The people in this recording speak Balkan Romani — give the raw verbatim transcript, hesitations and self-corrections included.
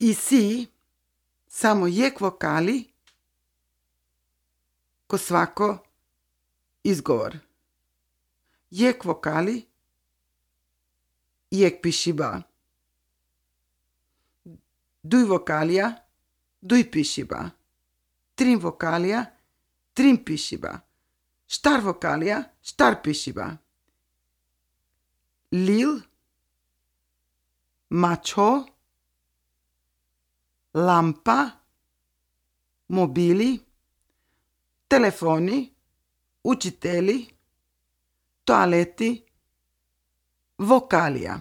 Isi samo jekh vokali ko svako izgovor. Jekh vokali, jekh pišiba. Duj vokalija, duj pišiba. Trin vokalija, trin pišiba. Štar vokalija, štar pišiba. Lil, mačho, lampa, mobili, telefoni, učiteli, toaleti, vokalija.